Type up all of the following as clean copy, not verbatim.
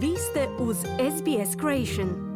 Vi ste uz SBS Creation.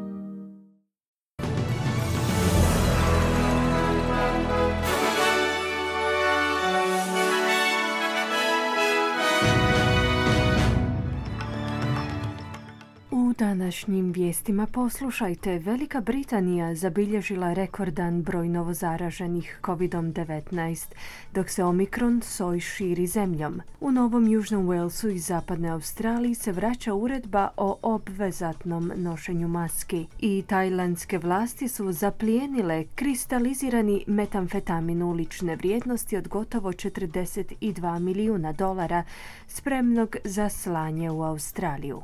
U današnjim vijestima poslušajte, Velika Britanija zabilježila rekordan broj novozaraženih COVID-19, dok se Omikron soj širi zemljom. U Novom Južnom Walesu i Zapadnoj Australiji se vraća uredba o obvezatnom nošenju maski i tajlandske vlasti su zaplijenile kristalizirani metamfetamin ulične vrijednosti od gotovo $42 milijuna, spremnog za slanje u Australiju.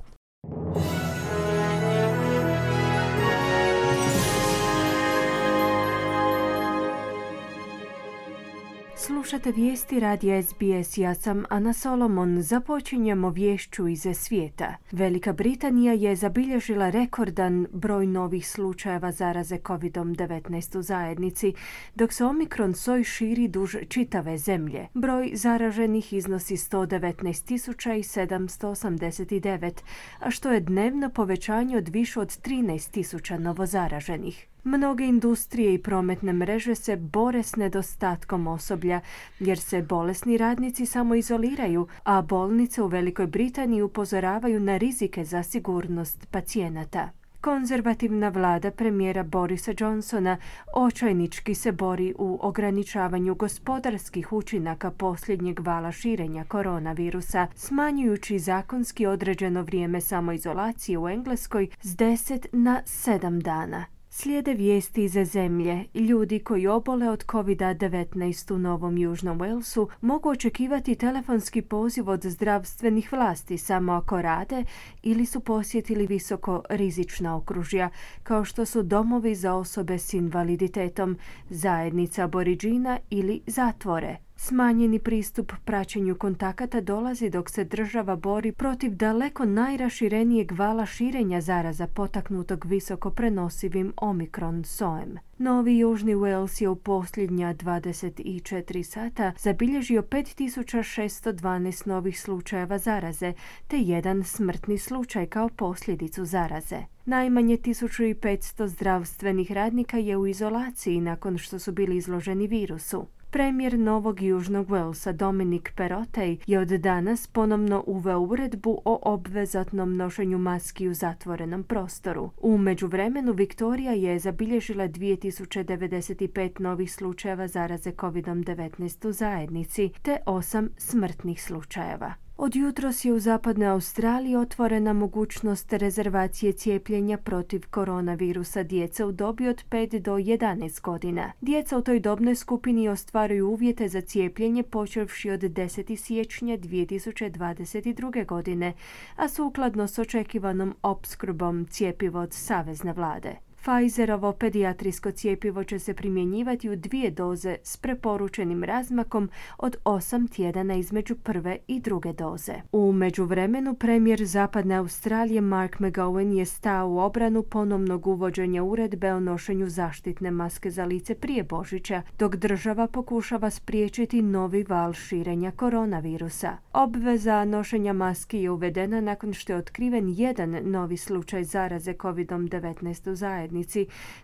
Slušate vijesti radija SBS, ja sam Ana Solomon. Započinjemo viješću iz svijeta. Velika Britanija je zabilježila rekordan broj novih slučajeva zaraze COVID-19 u zajednici, dok se Omikron soj širi duž čitave zemlje. Broj zaraženih iznosi 119.789, a što je dnevno povećanje od više od 13.000 novozaraženih. Mnoge industrije i prometne mreže se bore s nedostatkom osoblja jer se bolesni radnici samoizoliraju, a bolnice u Velikoj Britaniji upozoravaju na rizike za sigurnost pacijenata. Konzervativna vlada premijera Borisa Johnsona očajnički se bori u ograničavanju gospodarskih učinaka posljednjeg vala širenja koronavirusa, smanjujući zakonski određeno vrijeme samoizolacije u Engleskoj s 10 na 7 dana. Slijede vijesti iz zemlje. Ljudi koji obole od COVID-19 u Novom Južnom Walesu mogu očekivati telefonski poziv od zdravstvenih vlasti samo ako rade ili su posjetili visoko rizična okružja, kao što su domovi za osobe s invaliditetom, zajednica Aboriđina ili zatvore. Smanjeni pristup praćenju kontakata dolazi dok se država bori protiv daleko najraširenijeg vala širenja zaraza potaknutog visoko prenosivim Omikron sojem. Novi Južni Wales je u posljednja 24 sata zabilježio 5.612 novih slučajeva zaraze, te jedan smrtni slučaj kao posljedicu zaraze. Najmanje 1.500 zdravstvenih radnika je u izolaciji nakon što su bili izloženi virusu. Premijer Novog Južnog Walesa Dominic Perrottet je od danas ponovno uveo uredbu o obvezatnom nošenju maski u zatvorenom prostoru. U međuvremenu Viktorija je zabilježila 2095 novih slučajeva zaraze COVID-19 u zajednici, te 8 smrtnih slučajeva. Od jutros je u Zapadnoj Australiji otvorena mogućnost rezervacije cijepljenja protiv koronavirusa djece u dobi od 5 do 11 godina. Djeca u toj dobnoj skupini ostvaruju uvjete za cijepljenje počevši od 10. siječnja 2022. godine, a sukladno s očekivanom opskrbom cjepiva od savezne vlade. Pfizerovo pedijatrijsko cjepivo će se primjenjivati u 2 doze s preporučenim razmakom od 8 tjedana između prve i druge doze. U međuvremenu premijer Zapadne Australije Mark McGowan je stao u obranu ponovnog uvođenja uredbe o nošenju zaštitne maske za lice prije Božića, dok država pokušava spriječiti novi val širenja koronavirusa. Obveza nošenja maski je uvedena nakon što je otkriven jedan novi slučaj zaraze COVID-19 u zajednici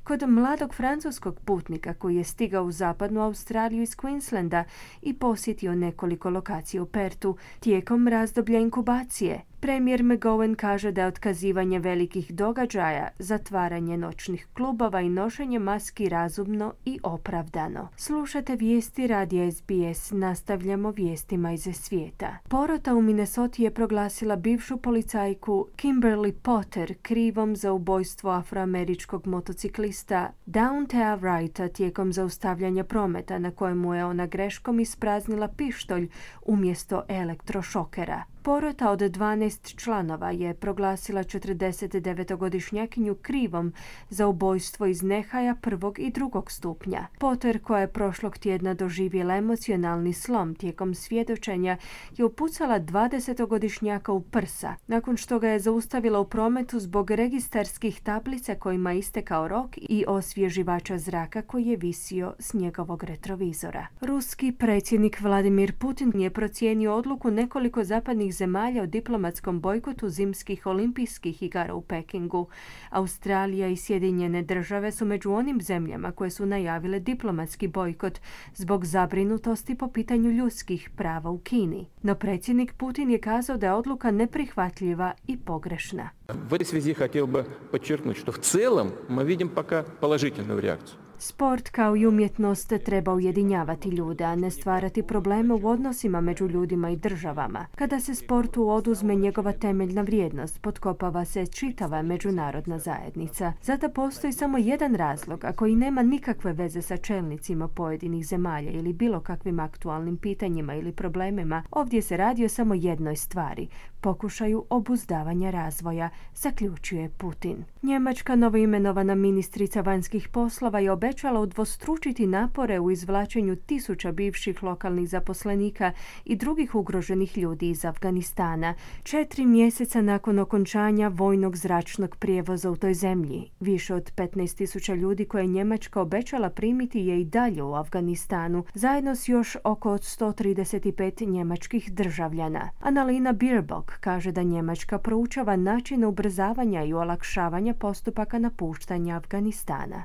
kod mladog francuskog putnika koji je stigao u Zapadnu Australiju iz Queenslanda i posjetio nekoliko lokacija u Pertu tijekom razdoblja inkubacije. Premijer McGowan kaže da je otkazivanje velikih događaja, zatvaranje noćnih klubova i nošenje maski razumno i opravdano. Slušate vijesti radija SBS, nastavljamo vijestima iz svijeta. Porota u Minnesoti je proglasila bivšu policajku Kimberly Potter krivom za ubojstvo afroameričkog motociklista Dauntea Wrighta tijekom zaustavljanja prometa na kojemu je ona greškom ispraznila pištolj umjesto elektrošokera. Porota od 12 članova je proglasila 49-godišnjakinju krivom za ubojstvo iz nehaja prvog i drugog stupnja. Potter, koja je prošlog tjedna doživjela emocionalni slom tijekom svjedočenja, je upucala 20-godišnjaka u prsa, nakon što ga je zaustavila u prometu zbog registarskih tablica kojima je istekao rok i osvježivača zraka koji je visio s njegovog retrovizora. Ruski predsjednik Vladimir Putin je procijenio odluku nekoliko zapadnih ugroženih zemalja o diplomatskom bojkotu zimskih olimpijskih igara u Pekingu. Australija i Sjedinjene države su među onim zemljama koje su najavile diplomatski bojkot zbog zabrinutosti po pitanju ljudskih prava u Kini. No predsjednik Putin je kazao da je odluka neprihvatljiva i pogrešna. В этой связи хотел бы подчеркнуть, что в целом мы видим пока положительную реакцию. Sport kao i umjetnost treba ujedinjavati ljude, a ne stvarati probleme u odnosima među ljudima i državama. Kada se sportu oduzme njegova temeljna vrijednost, potkopava se čitava međunarodna zajednica. Zato postoji samo jedan razlog, a koji nema nikakve veze sa čelnicima pojedinih zemalja ili bilo kakvim aktualnim pitanjima ili problemima. Ovdje se radi o samo jednoj stvari, pokušaju obuzdavanja razvoja, zaključuje Putin. Njemačka novoimenovana ministrica vanjskih poslova je obećala udvostručiti napore u izvlačenju tisuća bivših lokalnih zaposlenika i drugih ugroženih ljudi iz Afganistana, 4 mjeseca nakon okončanja vojnog zračnog prijevoza u toj zemlji. Više od 15.000 ljudi koje je Njemačka obećala primiti je i dalje u Afganistanu, zajedno s još oko 135 njemačkih državljana. Annalena Baerbock kaže da Njemačka proučava načine ubrzavanja i olakšavanja postupaka napuštanja Afganistana.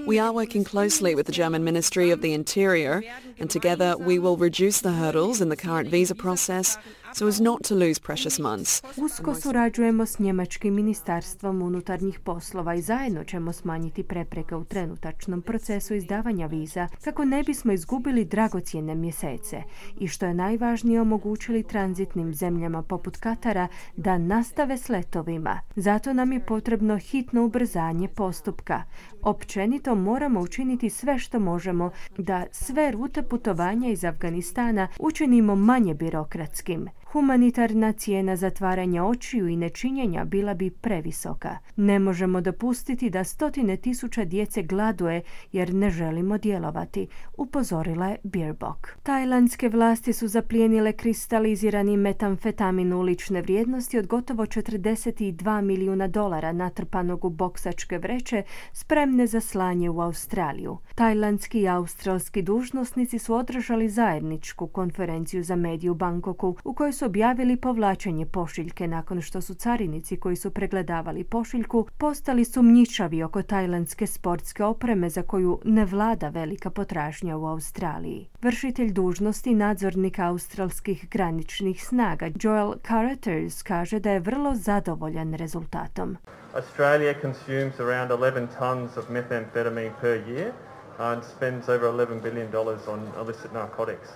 We are working closely with the German Ministry of the Interior, and together we will reduce the hurdles in the current visa process so as not to lose precious months. Usko surađujemo s njemačkim ministarstvom unutarnjih poslova i zajedno ćemo smanjiti prepreke u trenutačnom procesu izdavanja viza kako ne bismo izgubili dragocjene mjesece i što je najvažnije omogućili tranzitnim zemljama poput Katara da nastave s letovima. Zato nam je potrebno hitno ubrzanje postupka. Općenito moramo učiniti sve što možemo da sve rute putovanja iz Afganistana učinimo manje birokratskim. Humanitarna cijena zatvaranja očiju i nečinjenja bila bi previsoka. Ne možemo dopustiti da 100.000 djece gladuje jer ne želimo djelovati, upozorila je Baerbock. Tajlandske vlasti su zaplijenile kristalizirani metamfetamin ulične vrijednosti od gotovo $42 milijuna natrpanog u boksačke vreće spremne za slanje u Australiju. Tajlandski i australski dužnosnici su održali zajedničku konferenciju za medije u Bangkoku u kojoj su objavili povlačenje pošiljke nakon što su carinici koji su pregledavali pošiljku postali sumnjičavi oko tajlandske sportske opreme za koju ne vlada velika potražnja u Australiji. Vršitelj dužnosti nadzornika australskih graničnih snaga Joel Carruthers kaže da je vrlo zadovoljan rezultatom. Australia consumes around 11 tons of methamphetamine per year and spends over $11 billion on illicit narcotics.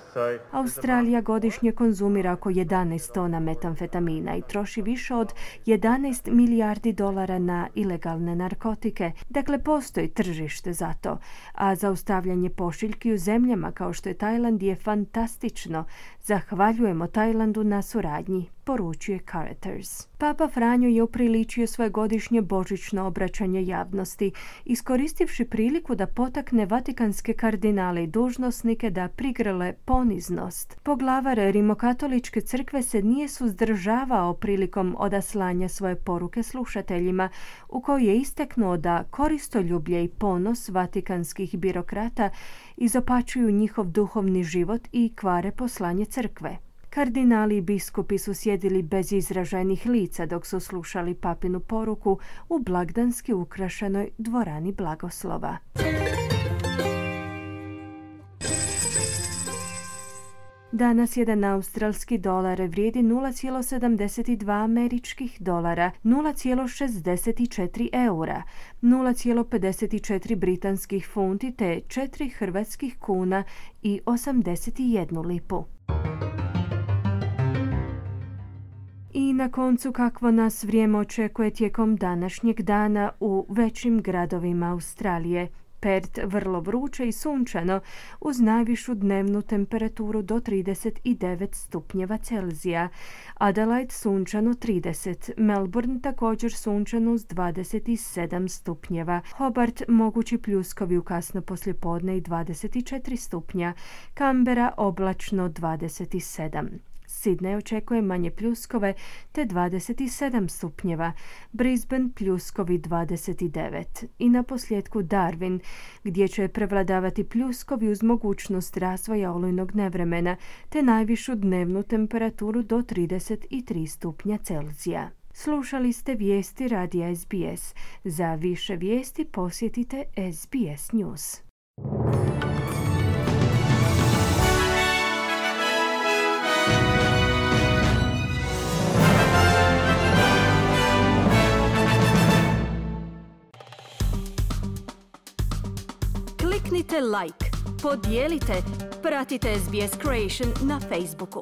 Australija godišnje konzumira oko 11 tona metamfetamina i troši više od $11 milijardi na ilegalne narkotike. Dakle, postoji tržište za to. A zaustavljanje pošiljki u zemljama kao što je Tajland je fantastično. Zahvaljujemo Tajlandu na suradnji, poručuje Carruthers. Papa Franjo je upriličio svoje godišnje božićno obraćanje javnosti, iskoristivši priliku da potakne vatikanske kardinale i dužnosnike da prigrle poniznost. Poglavar Rimokatoličke crkve se nije suzdržavao prilikom odaslanja svoje poruke slušateljima, u kojoj je istaknuo da koristoljublje i ponos vatikanskih birokrata izopačuju njihov duhovni život i kvare poslanje crkve. Kardinali i biskupi su sjedili bez izraženih lica dok su slušali papinu poruku u blagdanski ukrašenoj dvorani blagoslova. Danas jedan australski dolar vrijedi 0,72 američkih dolara, 0,64 eura, 0,54 britanskih funti te 4 hrvatskih kuna i 81 lipu. I na koncu kakvo nas vrijeme očekuje tijekom današnjeg dana u većim gradovima Australije. Perth vrlo vruće i sunčano uz najvišu dnevnu temperaturu do 39 stupnjeva Celzija. Adelaide sunčano 30, Melbourne također sunčano uz 27 stupnjeva. Hobart mogući pljuskovi u kasno poslijepodne i 24 stupnja. Canberra oblačno 27. Sydney očekuje manje pljuskove te 27 stupnjeva, Brisbane pljuskovi 29 i na posljedku Darwin, gdje će prevladavati pljuskovi uz mogućnost razvoja olujnog nevremena te najvišu dnevnu temperaturu do 33 stupnja Celzija. Slušali ste vijesti radija SBS. Za više vijesti posjetite SBS News. Kliknite like, podijelite, pratite SBS Creation na Facebooku.